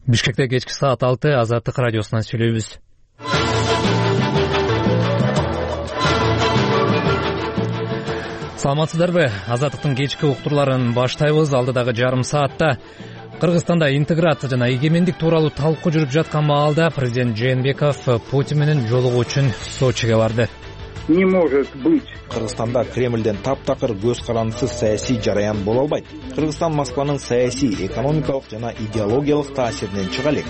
Бишкекте кечки саат 6 Азаттык радиосунан сүйлөйбүз. Саламатсыздарбы? Азаттыктын кечки уктурларын баштайбыз. Алдыдагы жарым саатта Кыргызстанда интеграция жана эгемендик тууралуу талкуу жүрүп жаткан маалда президент Жээнбеков Путин менен жолугуу үчүн Сочиге барды. Не может быть. Кыргызстанда Кремлден таптакыр көз карандысыз саясий жараян боло албайт. Кыргызстан Москванын саясий, экономикалык жана идеологиялык таасиринен чыга элек.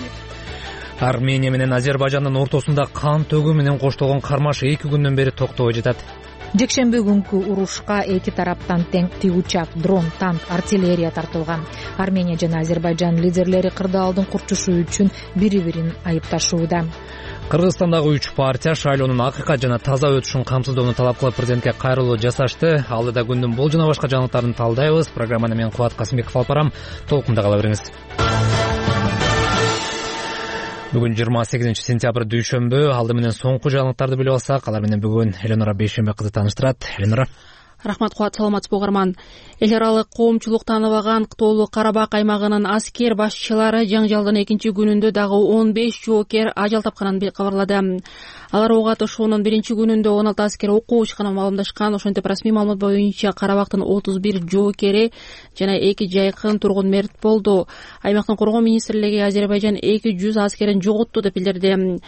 Армения менен Азербайжандын ортосунда кан төгүү менен коштолгон кармаш 2 күндөн бери токтобой жатат. Жекшемби күнкү урушка эки тараптан тең тигучак, дрон, танк, артиллерия тартылган. Армения жана Азербайжан лидерлери кырдаалдын курчушу үчүн бири-бирин айыпташууда. Кыргызстандагы 3 партия шайлоонун акыйкат жана таза өтүшүн камсыздоону талап кылып президентке кайрылуу жасашты. Алдыда күндүн бул жана башка жаңылыктарын талдайбыз. Программаны мен Кубат Касымбеков алып барам. Толкунда кала бериңиз. Бүгүн 28 сентябрь дүйшөмбү. Алды менен соңку жаңылыктарды билип алсак, алар менен бүгүн Эленора Бейшембек кызы тааныштырат. Эленора. Рахмат Кубат, саламатсызбы угарман. Эл аралык коомчулук тааныбаган Кытоолуу Карабак аймагынын аскер башчылары жаңжалдын экинчи күнүндө дагы 15 жоокер ажал тапканын кабарлады. Алар ок атышуунун биринчи күнүндө 16 аскер окуу учканын маалымдашкан. Ошентип расмий маалымат боюнча Карабактын 31 жоокери жана 2 жайкын тургун мерт болду. Аймактын коргоо министрлиги Азербайжан 200 аскерин жоготту деп билдирди.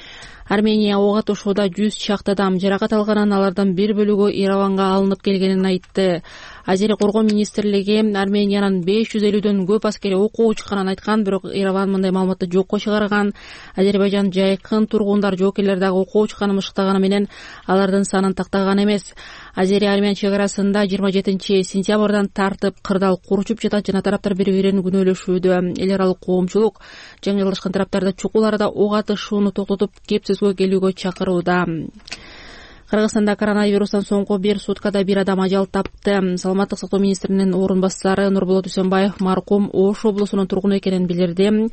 Армения ок атышууда 100 чакты адам жаракат алганын, алардын бир бөлүгү Ереванга алынып келгенин айтты. Азери коргоо министрлиги Армениянын 550дөн көп аскери окуу учканын айткан, бирок Ереван мындай маалыматты жокко чыгарган. Азербайжан жайкын тургундар жоокерлер дагы окуу учканын мыштаганы менен алардын санын тактаган эмес. Азери-армян чек арасында 27 сентябрдан тартып кырдаал курчуп жатат жана тараптар бири-бирин күнөөлөшүүдө. Эл аралык коомчулук жаңылышкан тараптарды чукул арада ок атышууну токтотуп кепсизгө келүүгө чакырууда. Кыргызстанда коронавирустан соңку бир суткада бир адам ажал тапты. Саламаттык сактоо министринин орун басары Нурболот Үсөнбаев маркум Ош облусунун тургуну экенин билдирди.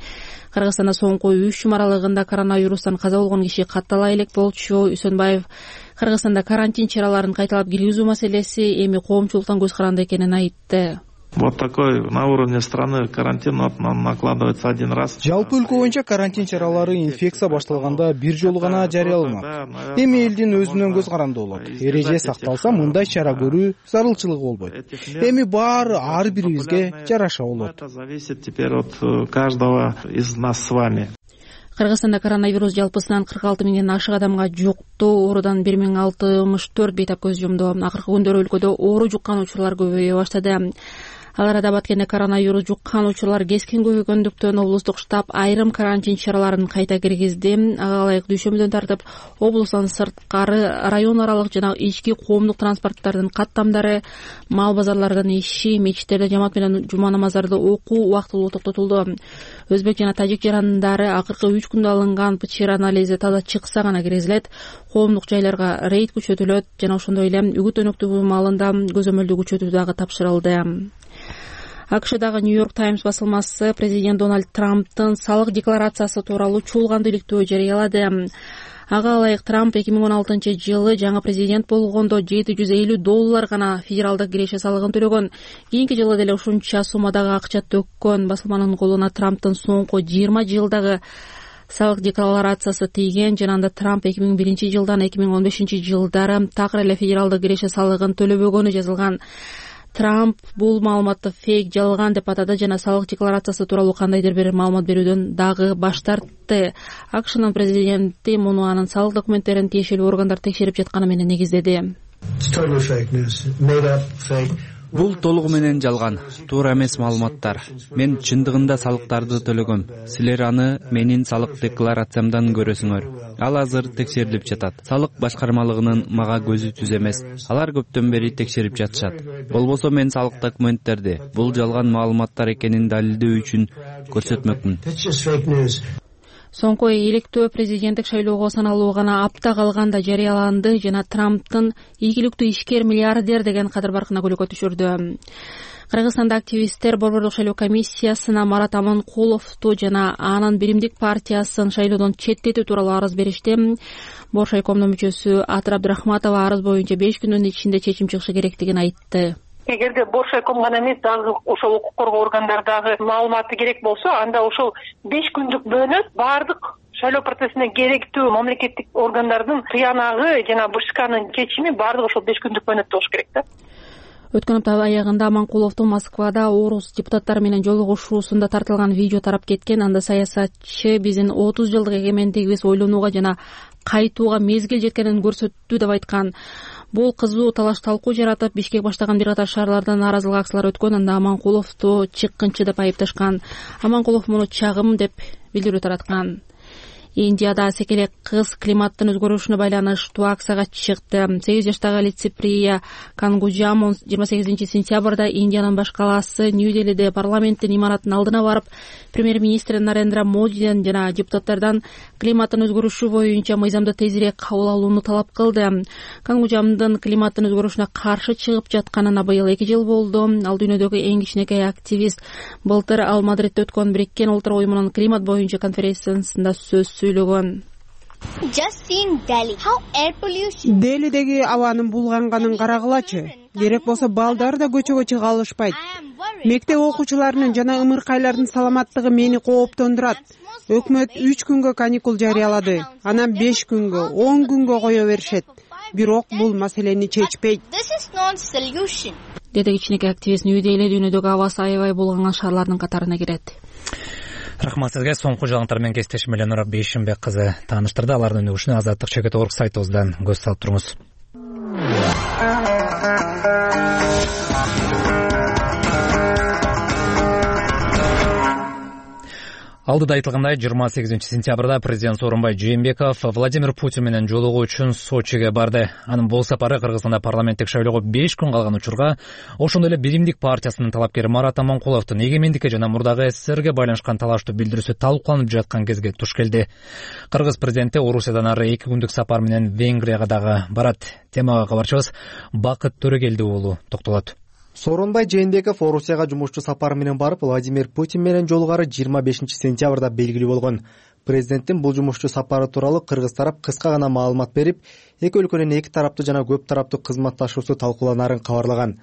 Кыргызстанда соңку 3 жум аралыгында коронавирустан каза болгон киши каттала элек болчу. Үсөнбаев Кыргызстанда карантин чараларын кайталап киргизүү маселеси эми коомчулуктан көз каранды экенин айтты. Вот такой на уровне страны карантин накладывается один раз. Жалпы өлкө боюнча карантин чаралары инфекция башталганда бир жолу гана жарыяланат. Эми элдин өзүнөн көз каранды болот. Эреже сакталса, мындай чара көрүү зарылчылыгы болбойт. Эми баары ар бирибизге жараша болот. Это зависит теперь от каждого из нас с вами. Кыргызстанда коронавирус жалпысынан 46 миңден ашык адамга жукты, оорудан 1064 бейтап көз жумду. Акыркы күндөр өлкөдө оору жуккан учурлар көбөйө баштады. Ал арада Баткенде коронавирус жуккан учурлар кескен көбөйгөндүктөн облустук штаб айрым карантин чараларын кайта киргизди. Ага ылайык дүйшөмбүдөн тартып облустан сырткары район аралык жана ички коомдук транспорттардын каттамдары, мал базарлардын иши, мечиттерде жамаат менен жума намаздарды окуу убактылуу токтотулду. Өзбек жана тажик жарандары акыркы 3 күндө алынган ПЧР анализи таза чыкса гана киргизилет. Коомдук жайларга рейд күчөтүлөт жана ошондой эле үгүт өнөктүгү маалында көзөмөлдү күчөтүү дагы тапшырылды. АКШдагы Нью-Йорк Таймс басылмасы президент Дональд Трамптын салык декларациясы тууралуу чуулган иликтөө жарыялады. Ага ылайык Трамп 2016 жылы жаңы президент болгондо $750 гана федералдык киреше салыгын төлөгөн. Кийинки жылы деле ушунча суммадагы акча төккөн. Басылманын колуна Трамптын соңку 20 жылдагы салык декларациясы тийген. Жанагында Трамп 2001 жылдан 2015 жылдары такыр эле федералдык киреше салыгын төлөбөгөнү жазылган. Трамп бул маалыматты фейк, жалган деп атады жана салык декларациясы тууралуу кандайдыр бир маалымат берүүдөн дагы баш тартты. АКШнын президенти муну анын салык документтерин тиешелүү органдар текшерип жатканы менен негиздеди. Бул толугу менен жалган, туура эмес маалыматтар. Мен чындыгында салыктарды төлөгөм. Силер аны менин салык декларациямдан көрөсүңөр. Ал азыр текшерилип жатат. Салык башкармалыгынын мага көзү түз эмес. Алар көптөн бери текшерип жатышат. Болбосо мен салык документтерди бул жалган маалыматтар экенин далилдөө үчүн көрсөтмөкмүн. Соңку иликтөө президенттик шайлоого саналуу гана апта калганда жарыяланды жана Трамптын ийгиликтүү ишкер миллиардер деген кадыр баркына көлөкө түшүрдү. Кыргызстанда активисттер Борбордук шайлоо комиссиясына Марат Аманкуловду жана анын биримдик партиясын шайлоодон четтетүү тууралуу арыз беришти. Боршайкомдун мүчөсү Атыр Абдрахматова арыз боюнча 5 күндүн ичинде чечим чыгышы керектигин айтты. Эгерде Бошайком гана эмес, дагы ошол укук коргоо органдарындагы маалыматы керек болсо, анда ошол 5 күндүк мөөнөт баардык шайлоо процессине керектүү мамлекеттик органдардын тыянагы жана БШКнын чечими баардыгы ошол 5 күндүк мөөнөттө болуш керек да. Өткөн апта аягында Аманкуловдун Москвада орус депутаттары менен жолугушуусунда тартылган видео тарап кеткен. Анда саясатчы биздин 30 жылдык эгемендигибиз ойлонууга жана кайтууга мезгил жеткенин көрсөттү деп айткан. Бул кызуу талаш талкуу жаратып, Бишкек баштаган бир катар шаарлардан нааразылык акциялар өткөн. Анда Аманкуловду чыккынчы деп айыпташкан. Аманкулов муну чагым деп билдирүү тараткан. Индияда секелек кыз климаттын өзгөрүшүнө байланыштуу акцияга чыкты. 8 жаштагы Лициприя Кангуджам 28-сентябрда Индиянын баш калаасы Нью-Делиде парламенттин имараттын алдына барып, премьер-министр Нарендра Модиден жана депутаттардан климаттын өзгөрүшү боюнча мыйзамды тезирээк кабыл алууну талап кылды. Кангуджамдын климаттын өзгөрүшүнө каршы чыгып жатканына быйыл 2 жыл болду. Ал дүйнөдөгү эң кичинекей активист. Былтыр ал Мадридте өткөн Бириккен Улуттар уюмунун климат боюнча конференциясында сөз сөйлөгөн. Делидеги абанын булганганын карагылачы. Керек болсо балдар да көчөгө чыга алышпайт. Мектеп окуучуларынын жана ымыркайлардын саламаттыгы мени кооптондурат. Өкмөт 3 күнгө каникул жарыялады. Анан 5 күнгө, 10 күнгө кое беришет. Бирок бул маселени чечпейт. Деди кичинекей активист. Нью-Дели дүйнөдөгү абасы аябай булганган шаарлардын катарына кирет. Рахмат сизге. Соңку жаңылыктар менен кесиптешим Эленора Бейшимбек кызы тааныштырды. Алардын өнүгүшүнө Азаттык Чекет.org сайтыбыздан көз салып туруңуз. Алдыда айтылгандай 28-сентябрда президент Сооронбай Жээнбеков Владимир Путин менен жолугуу үчүн Сочиге барды. Анын бул сапары Кыргызстанда парламенттик шайлоого 5 күн калган учурга ошондой эле Биримдик партиясынын талапкери Марат Аманкуловдун эгемендикке жана мурдагы СССРге байланышкан талаштуу билдирүүсү талкууланып жаткан кезге туш келди. Кыргыз президенти Орусиядан ары 2 күндүк сапар менен Венгрияга дагы барат. Темага кабарчыбыз Бакыт Төрөгелди уулу токтолот. Сооронбай Жээнбеков Орусияга жумушчу сапар менен барып, Владимир Путин менен жолугары 25-сентябрда белгилүү болгон. Президенттин бул жумушчу сапары тууралуу кыргыз тарап кыска гана маалымат берип, эки өлкөнүн эки тараптуу жана көп тараптуу кызматташуусу талкууланарын кабарлаган.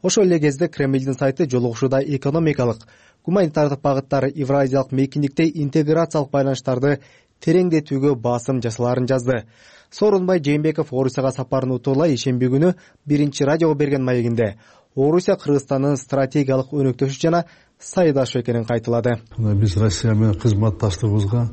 Ошол эле кезде Кремлдин сайты жолугушууда экономикалык, гуманитардык багыттары Евразиялык мейкиндикте интеграциялык байланыштарды тереңдетүүгө басым жасаларын жазды. Сооронбай Жээнбеков Орусияга сапарын утурлай ишемби күнү биринчи радиого берген маегинде Орусия Кыргызстандын стратегиялык өнөктөшү жана сайдашы экенин кайталады. Биз Россия менен кызматташтыгыбызга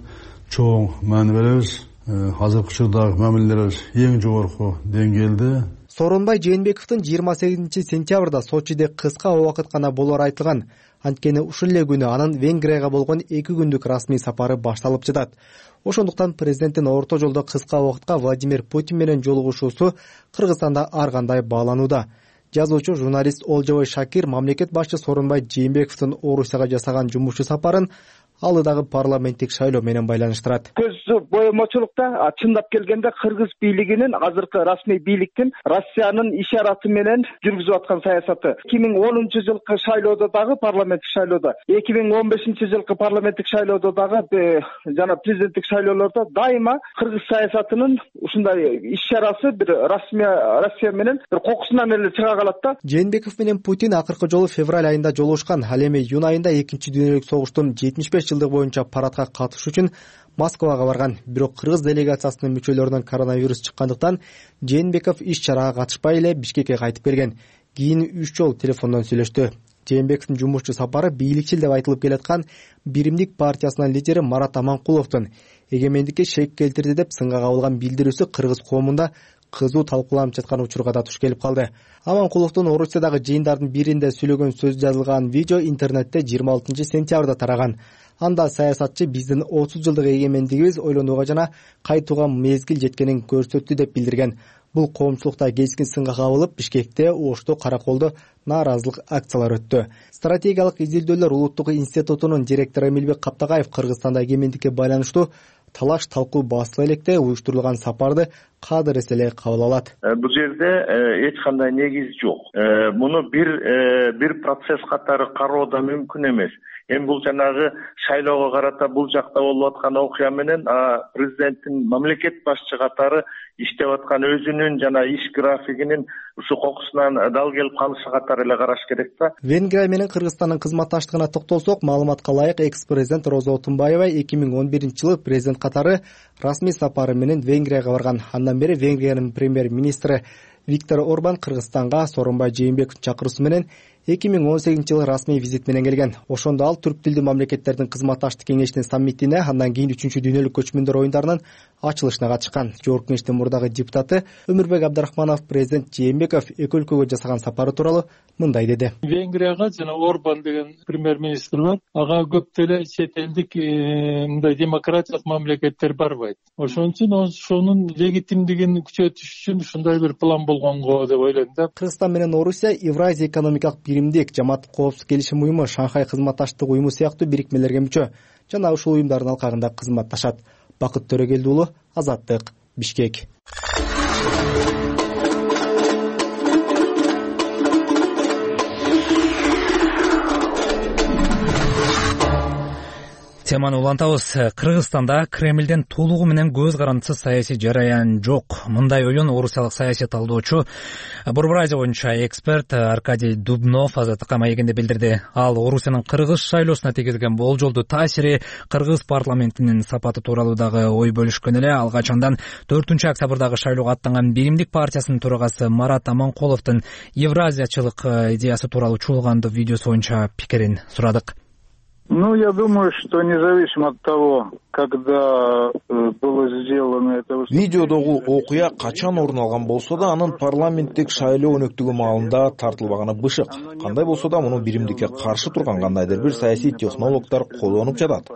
чоң маани беребиз. Азыркы учурдагы мамилелерибиз эң жогорку деңгээлде. Сооронбай Жээнбековдун 28-сентябрда Сочиде кыска убакыт гана болоору айтылган. Анткени ушул эле күнү анын Венгрияга болгон 2 күндүк расмий сапары башталып жатат. Ошондуктан президенттин орто жолдо кыска убакытка Владимир Путин менен жолугушуусу Кыргызстанда ар кандай бааланууда. Жазуучу журналист Олжобой Шакир мамлекет башчы Сооронбай Жээнбековдун Орусияга жасаган жумушчу сапарын алыдагы парламенттик шайлоо менен байланыштырат. Көз боемочулукта чындап келгенде кыргыз бийлигинин азыркы расмий бийликтин Россиянын ишараты менен жүргүзүп аткан саясаты 2010 жылкы шайлоодо дагы парламенттик шайлоодо, 2015 жылкы парламенттик шайлоодо дагы жана президенттик шайлоолордо дайыма кыргыз саясатынын ушундай ишарасы бир Россия менен бир кокусунан эле чыга калат да. Жээнбеков менен Путин акыркы жолу февраль айында жолугушкан. Ал эми июнь айында 2-дүйнөлүк согуштун 75 жылдык боюнча парадка катышуу үчүн Москвага барган. Бирок кыргыз делегациясынын мүчөлөрүнөн коронавирус чыккандыктан Жээнбеков иш-чарага катышпай эле Бишкекке кайтып келген. Кийин 3 жолу телефондон сүйлөштү. Жээнбековдун жумушчу сапары бийликчил деп айтылып келаткан Биримдик партиясынын лидери Марат Аманкуловдун эгемендикке шек келтирди деп сынга кабылган билдирүүсү кыргыз коомунда кызуу талкууланып жаткан учурга да туш келип калды. Аманкуловдун Орусиядагы жыйындардын биринде сүйлөгөн сөз жазылган видео интернетте 26-сентябрда тараган. Анда саясатчы биздин 30 жылдык эгемендигибиз ойлонууга жана кайтууга мезгил жеткенин көрсөттү деп билдирген. Бул коомчулукта кескин сынга кабылып, Бишкекте, Ошто, Караколдо нааразылык акциялар өттү. Стратегиялык изилдөөлөр улуттук институтунун директору Эмилбек Каптагаев Кыргызстанда эгемендикке байланыштуу талаш талкуу басыла электе уюштурулган сапарды кадыр эс эле кабыл алат. Бул жерде эч кандай негиз жок. Муну бир процесс катары кароо да мүмкүн эмес. Эми бул жанагы шайлоого карата бул жакта болуп аткан окуя менен президенттин мамлекет башчы катары иштеп аткан өзүнүн жана иш графигинин ушу кокусунан дал келип калышы катары эле караш керек да. Венгрия менен Кыргызстандын кызматташтыгына токтолсок, маалыматка ылайык экс-президент Роза Отунбаева 2011-жылы президент катары расмий сапары менен Венгрияга барган. Андан бери Венгриянын премьер-министри Виктор Орбан Кыргызстанга Сооронбай Жээнбековдун чакыруусу менен 2018-жылы расмий визит менен келген. Ошондо ал түрк тилдүү мамлекеттердин кызматташтык кеңешинин саммитине, андан кийин 3-дүйнөлүк көчмөндөр оюндарынын ачылышына катышкан. Жогорку кеңештин мурдагы депутаты Өмүрбек Абдрахманов президент Жээнбеков эки өлкөгө жасаган сапары тууралуу мындай деди. Венгрияга жана Орбан деген премьер-министр бар. Ага көп деле чет элдик мындай демократиялык мамлекеттер барбайт. Ошон үчүн ошонун легитимдигин күчөтүш үчүн ушундай бир план болгонго деп ойлойм да. Кыргызстан менен Орусия Евразия экономикалык биримдик, Жамааттык коопсуздук келишим уюму, Шанхай кызматташтык уюму сыяктуу бирикмелерге мүчө жана ушул уюмдардын алкагында кызматташат. Бакыт Төрөгелди уулу, Азаттык, Бишкек. Теманы улантабыз. Кыргызстанда Кремлден толугу менен көз карандысыз саясий жараян жок. Мындай оюн орусиялык саясий талдоочу, Борбор Азия боюнча эксперт Аркадий Дубнов Азаттыкка маегинде билдирди. Ал Орусиянын кыргыз шайлоосуна тийгизген болжолдуу таасири, кыргыз парламентинин сапаты тууралуу дагы ой бөлүшкөн эле. Ал качандан 4-октябрдагы шайлоого аттанган Биримдик партиясынын төрагасы Марат Аманкуловдун евразиячылык идеясы тууралуу чуулгандуу видеосу боюнча пикирин сурадык. Я думаю, что независимо от того, когда было сделано это выступление. Видеодогу окуя качан орун алган болсо да, анын парламенттик шайлоо өнөктүгү маалында тартылбаганы бышык. Кандай болсо да, муну биримдикке каршы турган кандайдыр бир саясий технологдор колдонуп жатат.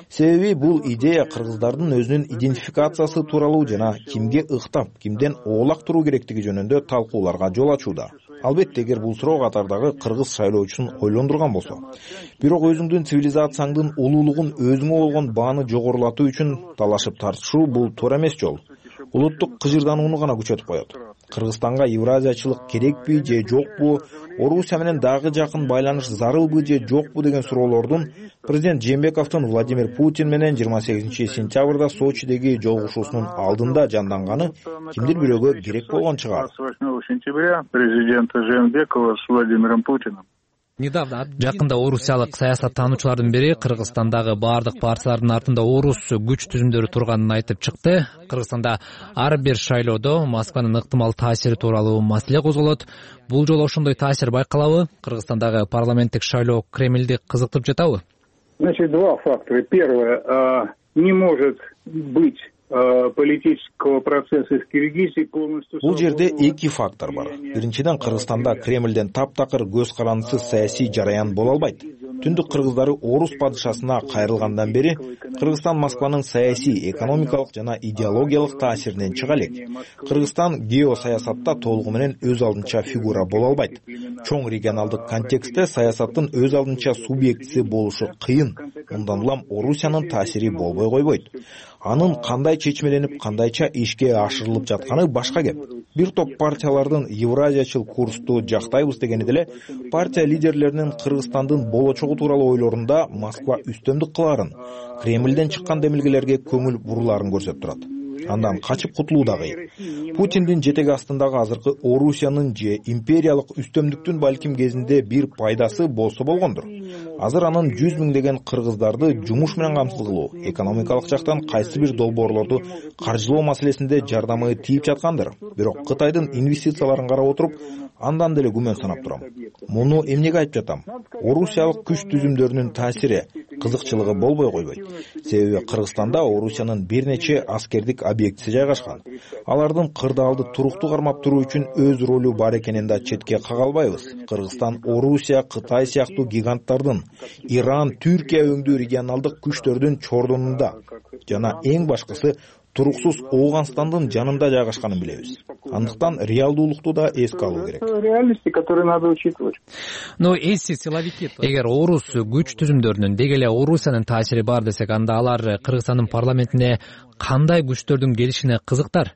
Себеби бул идея кыргыздардын өзүнүн идентификациясы тууралуу жана кимге ыктап, кимден оолак туруу керектиги жөнүндө талкууларга жол ачууда. Албетте, эгер бул суроо катардагы кыргыз шайлоочусун ойлондурган болсо. Бирок өзүңдүн цивилизацияңдын улуулугун, өзүңө болгон бааны жогорулатуу үчүн талашып тартышуу бул туура эмес жол. Улуттук кыжырданууну гана күчөтүп коет. Кыргызстанга евразиячылык керекпи же жокпу, Орусия менен дагы жакын байланыш зарылбы же жокпу деген суроолордун президент Жээнбековдун Владимир Путин менен 28-сентябрда Сочидеги жолугушуусунун алдында жанданганы кимдир бирөөгө керек болгон чыгар. 28 сентября президента Жээнбекова с Владимиром Путиным. Жакында орусиялык саясаттануучулардын бири Кыргызстандагы бардык партиялардын артында орус күч түзүмдөрү турганын айтып чыкты. Кыргызстанда ар бир шайлоодо Москванын ыктымал таасири тууралуу маселе козголот. Бул жолу ошондой таасир байкалабы? Кыргызстандагы парламенттик шайлоо Кремлди кызыктырып жатабы? Значит, два фактора. Первое, не может быть политического процесса в Киргизии полностью. Бул жерде эки фактор бар. Биринчиден, Кыргызстанда Кремлден таптакыр көз карандысыз саясий жараян боло албайт. Түндүк кыргыздары орус падышасына кайрылгандан бери Кыргызстан Москванын саясий, экономикалык жана идеологиялык таасиринен чыга элек. Кыргызстан геосаясатта толугу менен өз алдынча фигура боло албайт. Чоң регионалдык контекстте саясаттын өз алдынча субъектиси болушу кыйын. Мындан улам Орусиянын таасири болбой койбойт. Анын кандай чечмеленип, кандайча ишке ашырылып жатканы башка кеп. Бир топ партиялардын евразиячыл курсту жактайбыз дегени деле партия лидерлеринин Кыргызстандын болочогу тууралуу ойлорунда Москва үстөмдүк кылаарын, Кремлден чыккан демилгелерге көңүл бурулаарын көрсөтүп турат. Андан качып кутулуу да кыйын. Путиндин жетеги астындагы азыркы Орусиянын же империялык үстөмдүктүн балким кезинде бир пайдасы болсо болгондур. Азыр анын 100 миңдеген кыргыздарды жумуш менен камсыз кылуу, экономикалык жактан кайсы бир долбоорлорду каржылоо маселесинде жардамы тийип жаткандыр. Бирок Кытайдын инвестицияларын карап отуруп, андан деле күмөн санап турам. Муну эмнеге айтып жатам? Орусиялык күч түзүмдөрүнүн таасири, кызыкчылыгы болбой койбойт. Себеби Кыргызстанда Орусиянын бир нече аскердик объектиси жайгашкан. Алардын кырдаалды туруктуу кармап туруу үчүн өз ролу бар экенин да четке кага албайбыз. Кыргызстан Орусия, Кытай сыяктуу гиганттардын, Иран, Түркия өңдүү регионалдык күчтөрдүн чордонунда жана эң башкысы туруксуз Ооганстандын жанында жайгашканын билебиз. Андыктан реалдуулукту да эске алуу керек. Реальности, которые надо учитывать. Эгер орус күч түзүмдөрүнүн деги эле Орусиянын таасири бар десек, анда алар Кыргызстандын парламентине кандай күчтөрдүн келишине кызыктар?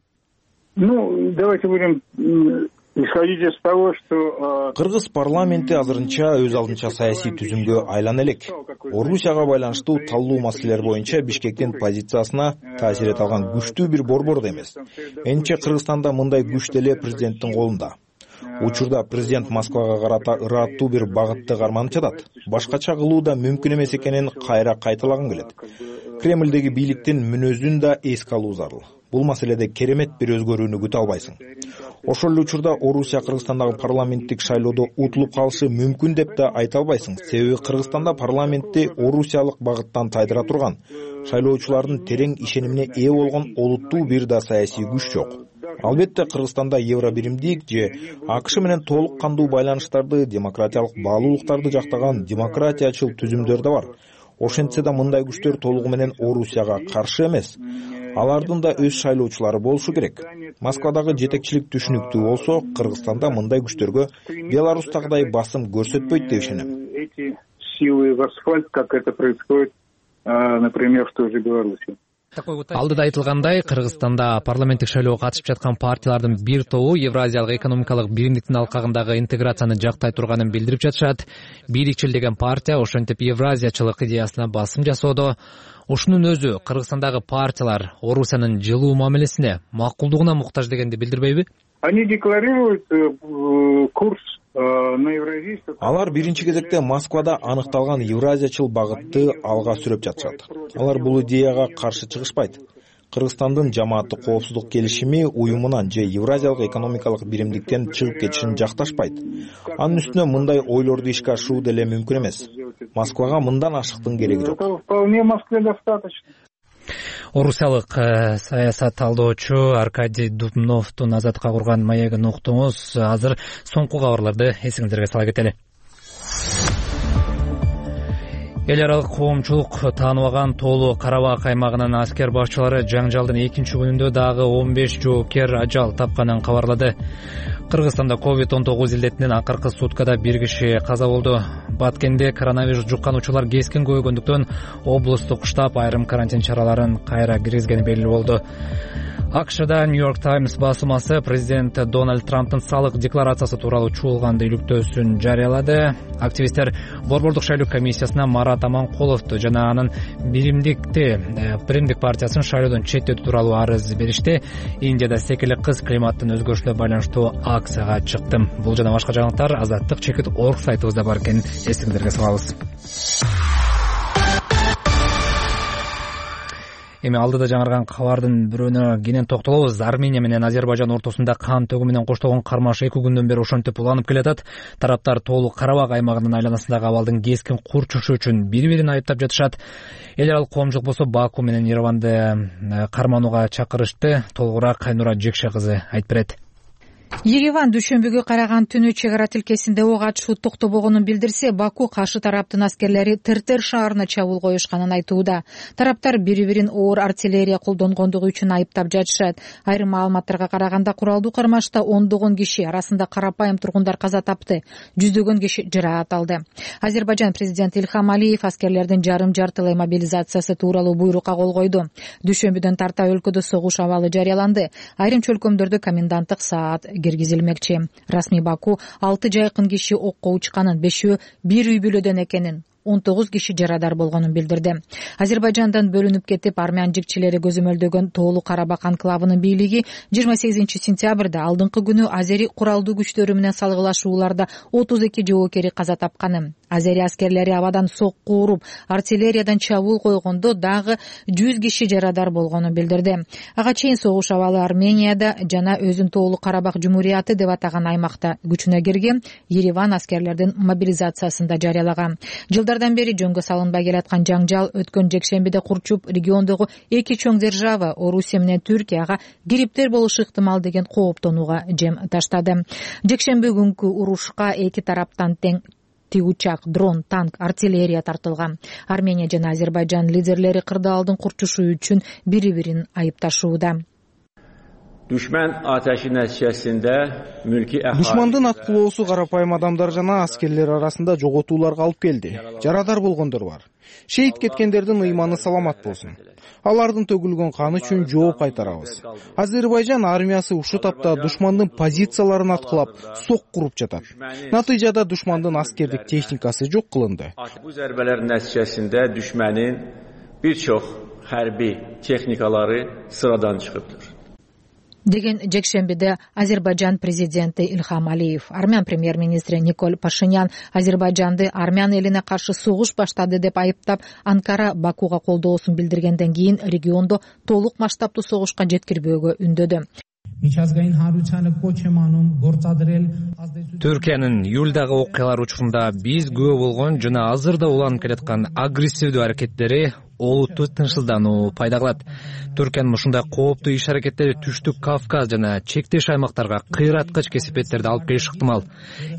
Давайте будем исходить из того, что кыргыз парламенти азырынча өз алдынча саясий түзүмгө айлана элек. Орусияга байланыштуу талдуу маселелер боюнча Бишкектин позициясына таасир эте алган күчтүү бир борбор да эмес. Менимче Кыргызстанда мындай күч деле президенттин колунда. Учурда президент Москвага карата ыраттуу бир багытты карманып жатат. Башкача кылуу да мүмкүн эмес экенин кайра кайталагым келет. Кремлдеги бийликтин мүнөзүн да эске алуу зарыл. Бул маселеде керемет бир өзгөрүүнү күтө албайсың. Ошол эле учурда Орусия Кыргызстандагы парламенттик шайлоодо утулуп калышы мүмкүн деп да айта албайсың. Себеби Кыргызстанда парламентти орусиялык багыттан тайдыра турган, шайлоочулардын терең ишенимине ээ болгон олуттуу бир да саясий күч жок. Албетте Кыргызстанда евробиримдик же АКШ менен толук кандуу байланыштарды, демократиялык баалуулуктарды жактаган демократиячыл түзүмдөр да бар. Ошентсе да мындай күчтөр толугу менен Орусияга каршы эмес. Алардын да өз шайлоочулары болушу керек. Москвадагы жетекчилик түшүнүктүү болсо, Кыргызстанда мындай күчтөргө Беларустагыдай басым көрсөтпөйт деп ишенем. Эти силы в асфальт, как это происходит, например, в той же Беларуси. Алдыда айтылгандай, Кыргызстанда парламенттик шайлоого катышып жаткан партиялардын бир тобу Евразиялык экономикалык биримдиктин алкагындагы интеграцияны жактай турганын билдирип жатышат. Бийликчил деген партия ошентип евразиячылык идеясына басым жасоодо. Ушунун өзү Кыргызстандагы партиялар Орусиянын жылуу мамилесине, макулдугуна муктаж дегенди билдирбейби? Они декларируют курс на евразийство. Алар биринчи кезекте Москвада аныкталган евразиячыл багытты алга сүрөп жатышат. Алар бул идеяга каршы чыгышпайт. Кыргызстандын жамааттык коопсуздук келишими уюмунан же Евразиялык экономикалык биримдиктен чыгып кетишин жакташпайт. Анын үстүнө мындай ойлорду ишке ашыруу деле мүмкүн эмес. Москвага мындан ашыктын кереги жок. Вполне Москве достаточно. Орусиялык саясат талдоочу Аркадий Дубновдун Азаттыкка курган маегин уктуңуз. Азыр соңку кабарларды эсиңиздерге сала кетели. Эл аралык коомчулук тааныбаган Тоолу Карабак аймагынын аскер башчылары жаңжалдын экинчи күнүндө дагы 15 жоопкер ажал тапканын кабарлады. Кыргызстанда COVID-19 илдетинен акыркы суткада 1 киши каза болду. Баткенде коронавирус жуккан учурлар кескин көбөйгөндүктөн облустук штаб айрым карантин чараларын кайра киргизгени белгилүү болду. АКШда Нью-Йорк Таймс басмасы президент Дональд Трамптын салык декларациясы тууралуу чуулган илүктөөсүн жарыялады. Активисттер Борбордук шайлоо комиссиясына Марат Аманкуловду жана анын Биримдик партиясын шайлоодон четтетүү тууралуу арыз беришти. Индияда секелек кыз климаттын өзгөрүшүнө байланыштуу акцияга чыктым. Бул жана башка жаңылыктар azattik.org сайтыбызда бар экенин эсиңиздерге салабыз. Эми алдыда жаңырган кабардын бирөөнө кенен токтолобуз. Армения менен Азербайжан ортосунда кан төгүү менен коштолгон кармаш 2 күндөн бери ошентип уланып келатат. Тараптар Тоолу Карабак аймагынын айланасындагы абалдын кескин курчушу үчүн бири-бирин айыптап жатышат. Эл аралык коомчулук болсо Баку менен Ереванды карманууга чакырышты. Толугураак Кайнура Жекше кызы айтып берет. Ереван дүйшөмбүгө караган түнү чек ара тилкесинде ок атышуу токтобогонун билдирсе, Баку каршы тараптын аскерлери Тертер шаарына чабуул коюшканын айтууда. Тараптар бири-бирин оор артиллерия колдонгондугу үчүн айыптап жатышат. Айрым маалыматтарга караганда куралдуу кармашта ондогон киши, арасында карапайым тургундар каза тапты, жүздөгөн киши жараат алды. Азербайжан президенти Ильхам Алиев аскерлердин жарым-жартылай мобилизациясы тууралуу буйрукка кол койду. Дүйшөмбүдөн тарта өлкөдө согуш абалы жарыяланды. Айрым чөлкөмдөрдө коменданттык саат киргизилмекчи. Расмий Баку 6 жайкын киши окко учканын, 5-өө бир үй бүлөдөн экенин, 19 киши жарадар болгонун билдирди. Азербайжандан бөлүнүп кетип армян жигчилери көзөмөлдөгөн Тоолу Карабак анклавынын бийлиги 28 сентябрда алдыңкы күнү азери куралдуу күчтөрү менен салгылашууларда 32 жоокери каза тапканын, азери аскерлери абадан сокку уруп, артиллериядан чабуул койгондо дагы 100 киши жарадар болгонун билдирди. Ага чейин согуш абалы Арменияда жана өзүн Тоолу Карабак Жумурияты деп атаган аймакта күчүнө кирген. Ереван аскерлердин мобилизациясын да жарыялаган. Жылдардан бери жөнгө салынбай келаткан жаңжал өткөн жекшембиде курчуп, региондогу эки чоң держава Орусия менен Түркияга кириптер болушу ыктымал деген кооптонууга жем таштады. Жекшемби күнкү урушка эки тараптан тең тигучак, дрон, танк, артиллерия тартылган. Армения жана Азербайжан лидерлери кырдаалдын курчушу үчүн бири-бирин айыпташууда. Düşman ateşi neticesinde mülki ahali душмандын аткылоосу карапайым адамдар жана аскерлер арасында жоготууларга алып келди. Жарадар болгондор бар. Шейит кеткендердин ыйманы саламат болсун. Алардын төгүлгөн каны үчүн жооп кайтарабыз. Азербайжан армиясы ушул тапта душмандын позицияларын аткылап, сок куруп жатат. Натыйжада душмандын аскердик техникасы жок кылынды. Bu zərbələrin nəticəsində düşmənin bir çox hərbi texnikaları sıradan çıxıbdır. Деген жекшембиде Азербайжан президенти Ильхам Алиев, армян премьер-министри Николь Пашинян Азербайжанды армян элине каршы согуш баштады деп айыптап, Анкара Бакуга колдоосун билдиргенден кийин региондо толук масштабтуу согушка жеткирбөөгө үндөдү. Түркиянын июлдагы окуялар учурунда биз күбө болгон жана азырда уланып келаткан агрессивдүү аракеттери олуттуу тынчсыздануу пайда кылат. Түркиянын ушундай кооптуу иш-аракеттери Түштүк Кавказ жана чектеш аймактарга кыйраткыч кесипеттерди алып келиши ыктымал.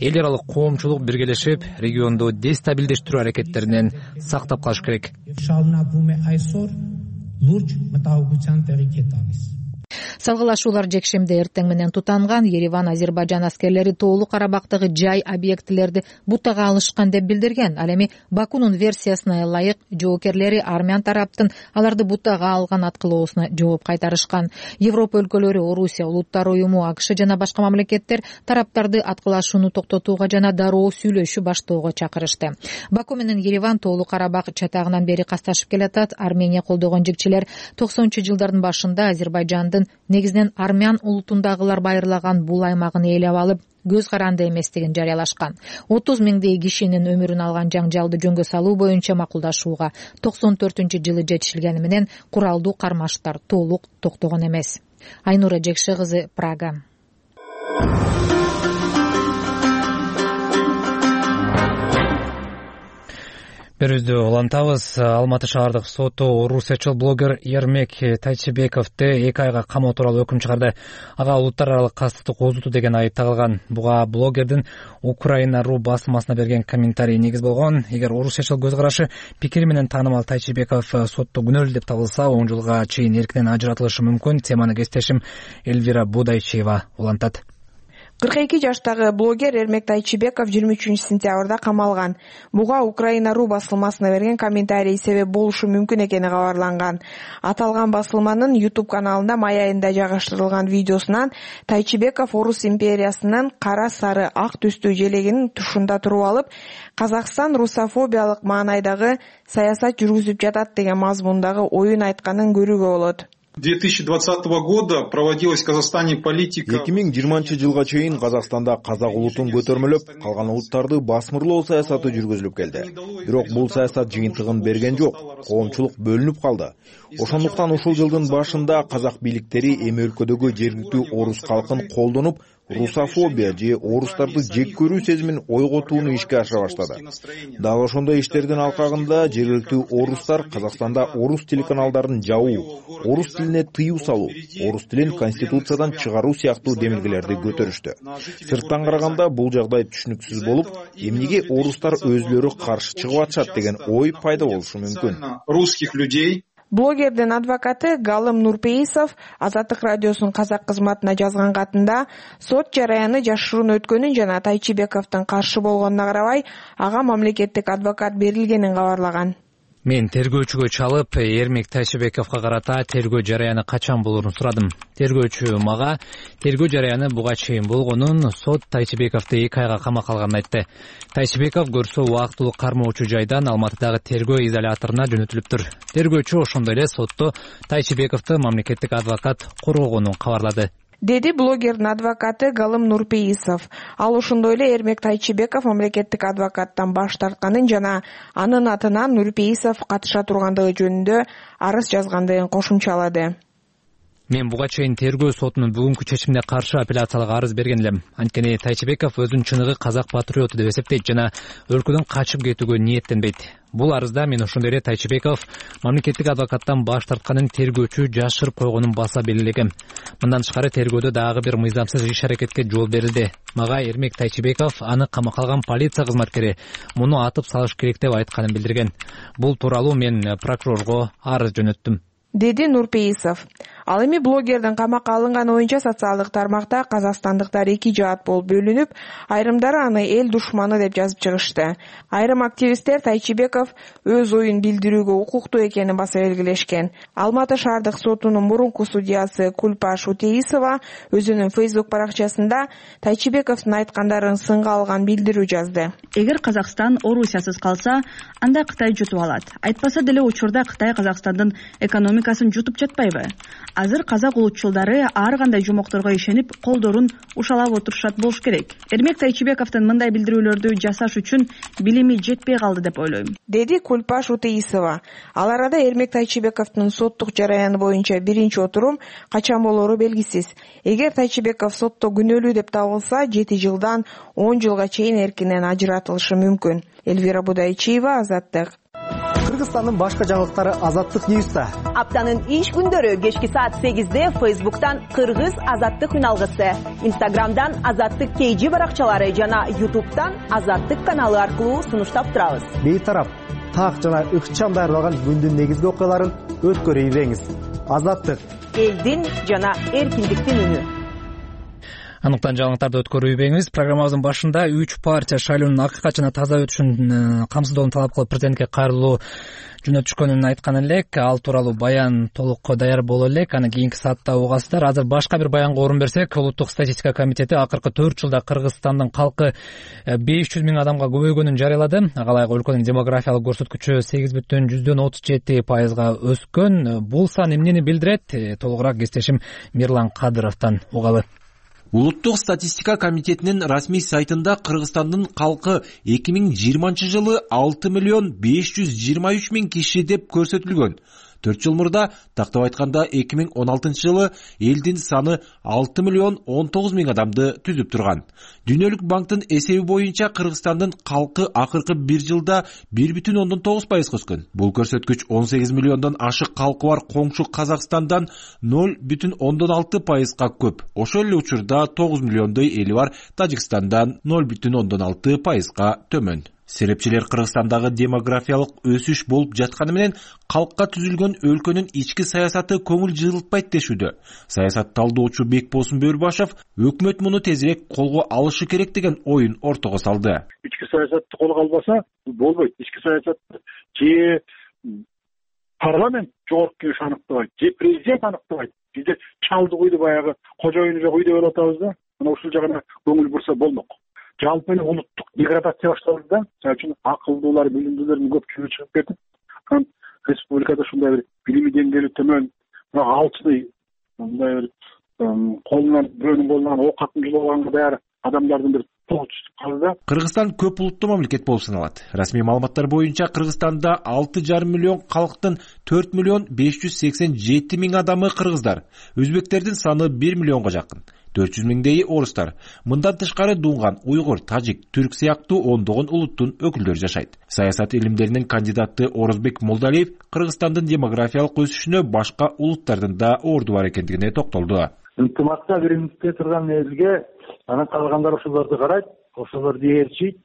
Эл аралык коомчулук биргелешип, регионду дестабилдештирүү аракеттеринен сактап калыш керек. Салгылашуулар жекшемде эртең менен тутанган. Ереван Азербайжан аскерлери Тоолуу Карабактагы жай объектилерди бутага алышкан деп билдирген. Ал эми Бакунун версиясына ылайык жоокерлери армян тараптын аларды бутага алган аткылоосуна жооп кайтарышкан. Европа өлкөлөрү, Орусия, Улуттар уюму, АКШ жана башка мамлекеттер тараптарды аткылашууну токтотууга жана дароо сүйлөшүү баштоого чакырышты. Баку менен Ереван Тоолуу Карабак чатагынан бери касташып келатат. Армения колдогон жигчилер 90-жылдардын башында Азербайжандын негизинен армян улутундагылар байырлаган бул аймагын ээлеп алып, көз каранды эместигин жарыялашкан. 30 миңдей кишинин өмүрүн алган жаңжалды жөнгө салуу боюнча макулдашууга 94-жылы жетишилгени менен куралдуу кармаштар толук токтогон эмес. Айнура Жекше кызы, Прага. Берүүбүздү улантабыз. Алматы шаардык соту орусиячыл блогер Ермек Тайчыбековду 2 айга камоо тууралуу өкүм чыгарды. Ага улуттар аралык кастыкты козутуу деген айып тагылган. Буга блогердин Украина.ру басылмасына берген комментарий негиз болгон. Эгер орусиячыл көз карашы, пикири менен таанымал Тайчыбеков сотто күнөөлүү деп табылса, 10 жылга чейин эркинен ажыратылышы мүмкүн. Теманы кесиптешим Эльвира Будайчева улантат. 42 жаштагы блогер Ермек Тайчыбеков 23-сентябрда камалган. Буга Украина.ру басылмасына берген комментарий себеп болушу мүмкүн экени кабарланган. Аталган басылманын YouTube каналында май айында жайгаштырылган видеосунан Тайчыбеков Орус империясынын кара сары ак түстүү желегинин тушунда туруп алып, Казакстан русофобиялык маанайдагы саясат жүргүзүп жатат деген мазмундагы оюн айтканын көрүүгө болот. 2020 года проводилась в Казахстане политика. 2020 жылга чейин Казакстанда казак улутун көтөрмөлөп, калган улуттарды басмырлоо саясаты жүргүзүлүп келди. Бирок бул саясат жыйынтыгын берген жок. Коомчулук бөлүнүп калды. Ошондуктан ушул жылдын башында казак бийликтери эми өлкөдөгү жергиликтүү орус калкын колдонуп, русофобия же орустарды жек көрүү сезимин ойготууну ишке ашыра баштады. Дал ошондой иштердин алкагында жергиликтүү орустар Казакстанда орус телеканалдарын жабуу, орус тилине тыюу салуу, орус тилин конституциядан чыгаруу сыяктуу демилгелерди көтөрүштү. Сырттан караганда бул жагдай түшүнүксүз болуп, эмнеге орустар өзлөрү каршы чыгып атышат деген ой пайда болушу мүмкүн. Русских людей. Блогердин адвокаты Галым Нурпейисов Азаттык радиосунун казак кызматына жазган катында сот жараяны жашыруун өткөнүн жана Тайчыбековдун каршы болгонуна карабай, ага мамлекеттик адвокат берилгенин кабарлаган. Мен тергөөчүгө чалып, Ермек Тайчыбековго карата тергөө жараяны качан болоорун сурадым. Тергөөчү мага тергөө жараяны буга чейин болгонун, сот Тайчыбековду 2 айга камакка алганын айтты. Тайчыбеков көрсө убактылуу кармоочу жайдан Алматыдагы тергөө изоляторуна жөнөтүлүптүр. Тергөөчү ошондой эле сотто Тайчыбековду мамлекеттик адвокат коргогонун кабарлады. Деди блогердин адвокаты Галым Нурпейисов. Ал ошондой эле Ермек Тайчыбеков мамлекеттик адвокаттан баш тартканын жана анын атынан Нурпейисов катыша тургандыгы жөнүндө арыз жазгандыгын кошумчалады. Мен буга чейин тергөө сотунун бүгүнкү чечимине каршы апелляциялык арыз берген элем. Анткени Тайчыбеков өзүн чыныгы казак патриоту деп эсептейт жана өлкөдөн качып кетүүгө ниеттенбейт. Бул арызда мен ошондой эле Тайчыбеков мамлекеттик адвокаттан баш тартканын тергөөчү жашырып койгонун баса белгилегем. Мындан тышкары тергөөдө дагы бир мыйзамсыз иш-аракетке жол берилди. Мага Ермек Тайчыбеков аны камакка алган полиция кызматкери муну атып салыш керек деп айтканын билдирген. Бул тууралуу мен прокурорго арыз жөнөттүм. Деди Нурпейисов. Ал эми блогердин камакка алынганы боюнча социалдык тармакта казакстандыктар эки жаат болуп бөлүнүп, айрымдары аны эл душманы деп жазып чыгышты. Айрым активисттер Тайчибеков өз оюн билдирүүгө укуктуу экенин баса белгилешкен. Алматы шаардык сотунун мурунку судьясы Кульпаш Утеисова өзүнүн Facebook баракчасында Тайчибековдун айткандарын сынга алган билдирүү жазды. Эгер Казакстан Орусиясыз калса, анда Кытай жутуп алат. Айтпаса деле учурда Кытай Казакстандын экономикасын жутуп жатпайбы? Азыр казак улутчулдары ар кандай жомокторго ишенип, колдорун ушалап отурушат болуш керек. Эрмек Тайчибековдун мындай билдирүүлөрдү жасаш үчүн билими жетпей калды деп ойлойм, деди Кульпаш Утеисова. Ал арада Эрмек Тайчибековдун соттук жараяны боюнча биринчи отурум качан болору белгисиз. Эгер Тайчибеков сотто күнөөлүү деп табылса, 7 жылдан 10 жылга чейин эркинен ажыратылышы мүмкүн. Элвира Будайчиева, Азаттык. Кыргызстандын башка жаңылыктары Азаттык Ньюста. Аптанын иш күндөрү кечки саат 8-де Facebook'tan Кыргыз Азаттык үналгысы, Instagram'dan Азаттык KG баракчалары жана YouTube'дан Азаттык каналы аркылуу сунуштап турабыз. Бейтарап, так жана ыкчам даярдалган күндүн негизги окуяларын өткөрүп ийбеңиз. Азаттык элдин жана эркиндиктин үнү. Анықтан жаңылыктарды өткөрүп ийбеңиз. Программабыздын башында 3 партия шайлоонун акыркы жана таза өтүшүн камсыздоону талап кылып президентке кайрылуу жөнөтүшкөнүн айткан элек. Ал тууралуу баян толук даяр боло элек. Аны кийинки саатта угасыздар. Азыр башка бир баянга орун берсек, Улуттук статистика комитети акыркы 4 жылда Кыргызстандын калкы 500 миң адамга көбөйгөнүн жарыялады. Ага ылайык өлкөнүн демографиялык көрсөткүчү 8,37% өскөн. Бул сан эмнени билдирет? Толугураак кесиптешим Мирлан Кадыровдон угалы. Улуттук статистика комитетинин расмий сайтында Кыргызстандын калкы 2020 жылы 6,523,000 киши деп көрсөтүлгөн. 4 жыл мурда, тактап айтканда 2016 жылы элдин саны 6,19,000 адамды түзүп турган. Дүйнөлүк банктын эсеби боюнча Кыргызстандын калкы акыркы 1 жылда 1,9% өскөн. Бул көрсөткүч 18 миллиондон ашык калкы бар коңшу Казакстандан 0,6%га көп. Ошол эле учурда 9 миллиондой эли бар Тажикстандан 0,6%га төмөн. Серепчилер Кыргызстандагы демографиялык өсүш болуп жатканы менен калкка түзүлгөн өлкөнүн ички саясаты көңүл жылытпайт дешүүдө. Саясат талдоочу Бекболсун Бөрбашев өкмөт муну тезирээк колго алышы керек деген оюн ортого салды. Ички саясатты колго албаса болбойт. Ички саясатты же парламент жогорку кеңеш аныктабайт, же президент аныктабайт. Бизде чалды куйду баягы кожоюну жок үйдө болуп атабыз да. Мына ушул жагына көңүл бурса болмок. Жалпы эле улуттук деградация башталды да. Мисалы үчүн акылдуулар, билимдүүлөрдүн көпчүлүгү чыгып кетип, республикада ушундай бир билими деңгээли төмөн, алчный, мындай бир колунан бирөөнүн колунан ок атып жылып алганга даяр адамдардын бир тобу түшүп калды да. Кыргызстан көп улуттуу мамлекет болуп саналат. Расмий маалыматтар боюнча Кыргызстанда 6,5 миллион калктын 4,587,000 адамы кыргыздар. Өзбектердин саны 1 миллионго жакын. 400 миңдей орустар. Мындан тышкары дунган, уйгур, тажик, түрк сыяктуу ондогон улуттун өкүлдөрү жашайт. Саясат илимдеринин кандидаты Орозбек Молдалиев Кыргызстандын демографиялык өсүшүнө башка улуттардын да орду бар экендигине токтолду. Ынтымакта биринчиден турган элге, анан калгандар ошолорду карайт, ошолорду ээрчийт.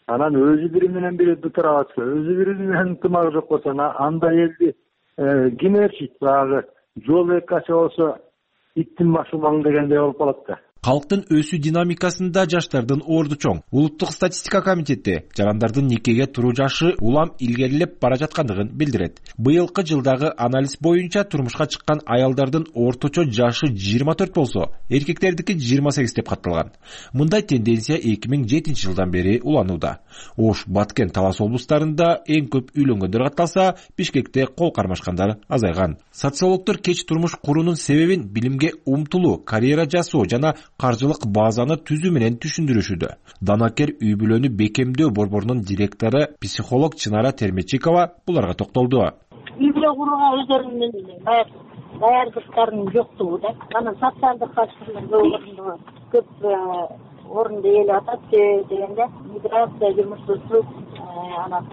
Анан өзү бири менен бири дутура атса, өзү бири менен ынтымак жок болсо, андай элди ким ээрчийт? Баягы жол экача болсо иттин башы маң дегендей болуп калат да. Калктын өсүү динамикасында жаштардын орду чоң. Улуттук статистика комитети жарандардын никеге туруу жашы улам илгерилеп бара жаткандыгын билдирет. Быйылкы жылдагы анализ боюнча турмушка чыккан аялдардын орточо жашы 24 болсо, эркектердики 28 деп катталган. Мындай тенденция 2007 жылдан бери уланууда. Ош, Баткен, Талас облустарында эң көп үйлөнгөндөр катталса, Бишкекте кол кармашкандар азайган. Социологдор кеч турмуш куруунун себебин билимге умтулуу, карьера жасоо жана каржылык базаны түзүү менен түшүндүрүшүүдө. Данакер үй бүлөнү бекемдөө борборунун директору психолог Чынара Терметчикова буларга токтолду. Үй бүлө курууга өздөрүнүн даярдыктарынын жоктугу да. Анан социалдык факторлор көп орунду ээлеп атат дегенде миграция, жумушсуздук,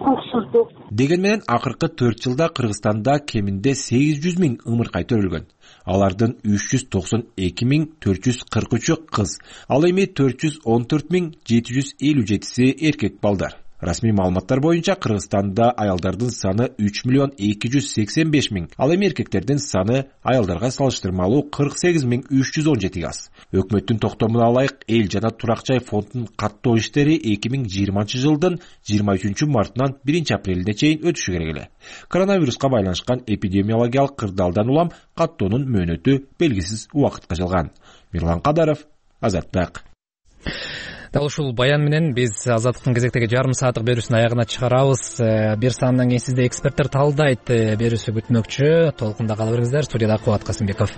куксуздук. Деген менен акыркы 4 жылда Кыргызстанда кеминде 800 миң ымыркай төрөлгөн. Алардын 392,443 кыз, ал эми 414,757 эркек балдар. Расмий маалыматтар боюнча Кыргызстанда аялдардын саны 3.285.000, ал эми эркектердин саны аялдарга салыштырмалуу 48.317 аз. Өкмөттүн токтомуна ылайык эл жана турак жай фондунун каттоо иштери 2020 жылдын 23 мартынан 1 апрелине чейин өтүшү керек эле. Коронавируска байланышкан эпидемиологиялык кырдаалдан улам каттоонун мөөнөтү белгисиз убакытка жалган. Мирлан Кадаров, Азаттык. Дал ушул баян менен биз Азаттыктын кезектеги жарым сааттык берүүсүнүн аягына чыгарабыз. Бир саамдан кийин сизди эксперттер талдайт берүүсү күтмөкчү. Толкунда кала бериңиздер. Студияда Кубат Касымбеков.